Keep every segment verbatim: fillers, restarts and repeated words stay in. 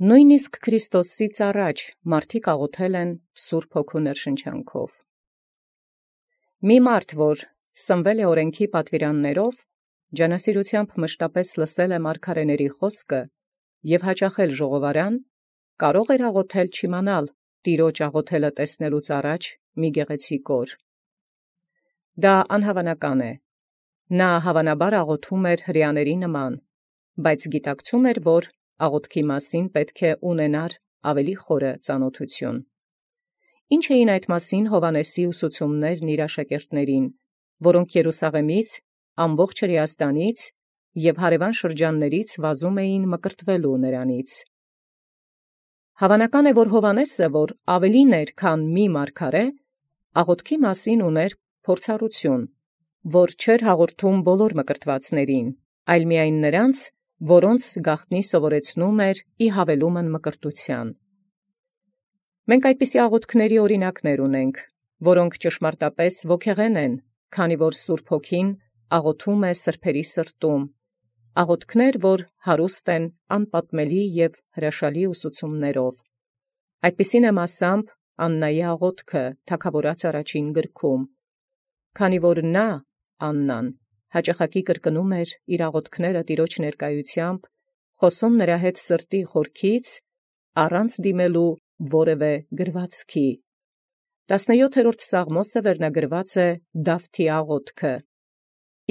Նոյնիսկ Քրիստոսից առաջ մարդիկ աղոթել են Սուրբ Հոգու ներշնչանքով։ Մի մարդ, որ սնվել է օրենքի պատվիրաններով, ջանասիրութեամբ մշտապես լսել է մարգարեների խոսքը և հաճախել ժողովարան, կարող էր աղոթել չիմանալ Տիրոջ աղոթելը տեսնելուց առաջ մի գեղեցիկ օր։ Դա անհավանական է։ Նա հավանաբար աղոթում էր հրեաների նման, բայց գիտակցում էր, որ աղոթքի մասին պետք է ունենար ավելի խորը ծանոթություն։ Ինչ էին այդ մասին Հովհաննեսի ուսուցումներն իր աշակերտներին, որոնք Երուսաղեմից, ամբողջ Հրեաստանից և հարևան շրջաններից վազում էին մկրտվելու նրանից։ Հավանական է, որ Հովհաննեսը, որ ավելին էր, քան մի մարգարե, աղոթքի մասին ուներ փորձառություն, որ չէր հաղորդում բոլոր մկրտվածներին, այլ միայն նրանց, որոնց գաղտնի սովորեցնում էր ի հավելումն մկրտութեան։ Մենք այդպիսի աղոթքների օրինակներ ունենք, որոնք ճշմարտապես ոգեղեն են, քանի որ Սուրբ Հոգին աղոթում է սրբերի սրտում, աղոթքներ, որ հարուստ են անպատմելի և հրաշալի ուսուցումներով։ Այդպիսին է մասամբ Աննայի աղոթքը Թագաւորաց առաջին գրքում, քանի որ նա, Աննան, հաճախակի կրկնում էր իր աղոթքները Տիրոջ ներկայությամբ, խոսում նրա հետ սրտի խորքից, առանց դիմելու որևէ գրվածքի։ Տասնյոթերորդ Սաղմոսը վերնագրված է Դավթի աղոթքը,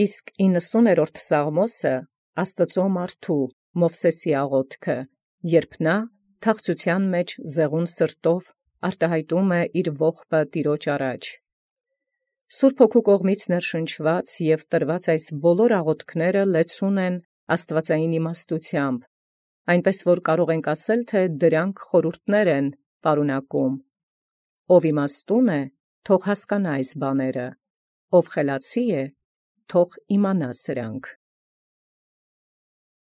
իսկ իննսուներորդ Սաղմոսը Աստուծոյ մարդու Մովսէսի աղոթքը, երբ նա թախծութեան մեջ զեղուն սրտով արտահայտում է իր ողբը Տիրոջ առաջ։ Սուրբ Հոգու կողմից ներշնչված և տրված այս բոլոր աղոթքները լեցուն են աստուածային իմաստութեամբ, այնպես որ կարող ենք ասել, թե դրանք խորհուրդներ են պարունակում։ Ով իմաստուն է, թող հասկանա այս բաները, ով խելացի է, թող իմանա սրանք։